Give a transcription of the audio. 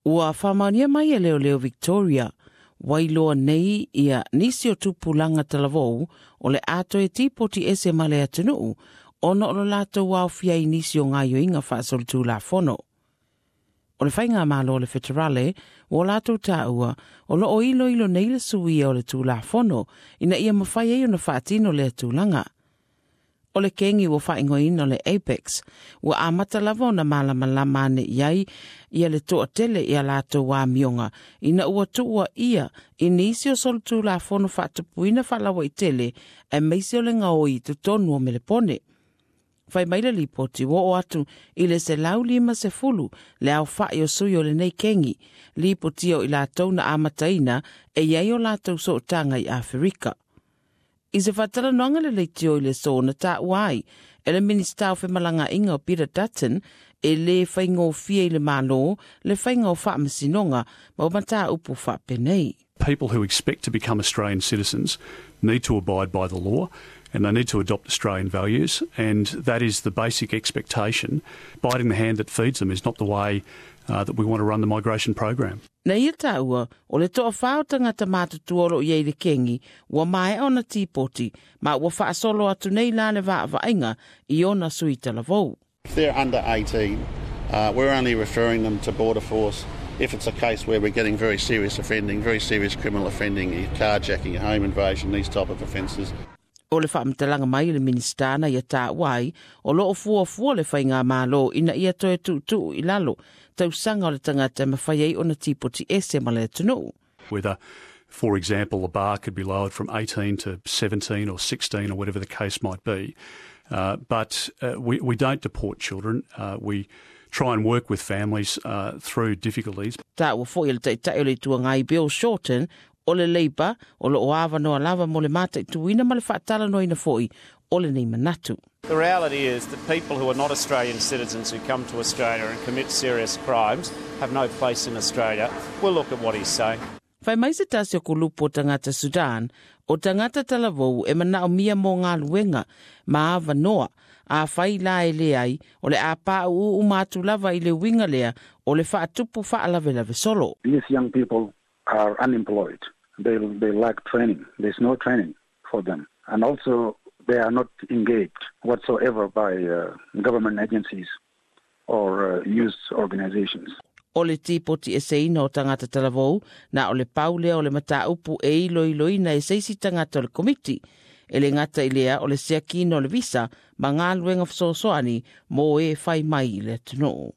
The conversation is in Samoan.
Ua faamaonia mai e leoleo Victoria, ua iloa nei ia nisi o tupulaga talavou o le a toe tipoti ese ma le atunuu ona o lo latou aofia i nisi o gaoioiga faasolitulafono. O le faigamalo a le Feterale ua latou taua o lo o iloilo nei le suia o le Tulafono ina ia mafai ai ona faatino lea tulaga. O le kengi ua faaigoaina o le Apex, ua amata lava ona malamalama ane i ai ia le toatele i a latou amioga ina ua tuuaia i nisi o solitulafono faatupuina faalauaitele aemaise o le gaoi i totonu o Melepone. Fai mai le lipoti ua oo atu i le 150 le aofai o sui o lenei kengi, lipotia o i latou na amataina e i ai o latou sootaga i Aferika. I se faatalanoaga le leitio i le aso na taua ai e le Minisita o Femalagaaiga o Peter Dutton e le faigofie i le Malo le faiga o faamasinoga ma o mataupu faapenei. People who expect to become Australian citizens need to abide by the law and they need to adopt Australian values, and that is the basic expectation. Biting the hand that feeds them is not the way that we want to run the migration program. Na ia taua, o le toawhā o tangata mātutua o lo o i ai i le kengi, ua maea ona tipoti, ma ua faasolo atu nei la le vaavaaiga i ona sui talavou. If they're under 18, we're only referring them to Border Force if it's a case where we're getting very serious offending, very serious criminal offending, carjacking, home invasion, these type of offences. O le faamatalaga mai a le Minisita na ia taua ai, o lo o fuafua le faigamalo ina ia toe tuutuu i lalo tausaga o le tagata e mafai ai ona tipoti ese ma le atunuu. Whether, for example, the bar could be lowered from 18 to 17 or 16 or whatever the case might be. But we don't deport children. We try and work with families through difficulties. Taua foi e le Taitai o le Itu Agai Bill Shorten o le Labour o lo o avanoa lava mo le mataituina ma le faatalanoaina foi o lenei manatu. The reality is that people who are not Australian citizens who come to Australia and commit serious crimes have no place in Australia. We'll look at what he's saying. Fai mai se tasi o kulupu o tagata Sudan, o tagata talavou e manaomia mo galuega ma avanoa, afai la e leai, o le a pauu uma atu lava i le uiga lea o le faatupu faalavelave solo. These young people are unemployed. They, they lack training. There's no training for them. And also, they are not engaged whatsoever by government agencies or youth organizations. O le tipoti eseina o tagata talavou, na o le pau lea o le mataupu e iloiloina e se isi tagata o le komiti. E le gata i lea o le siakiina o le visa ma galuega fesoasoani mo e fai mai i le atunuu.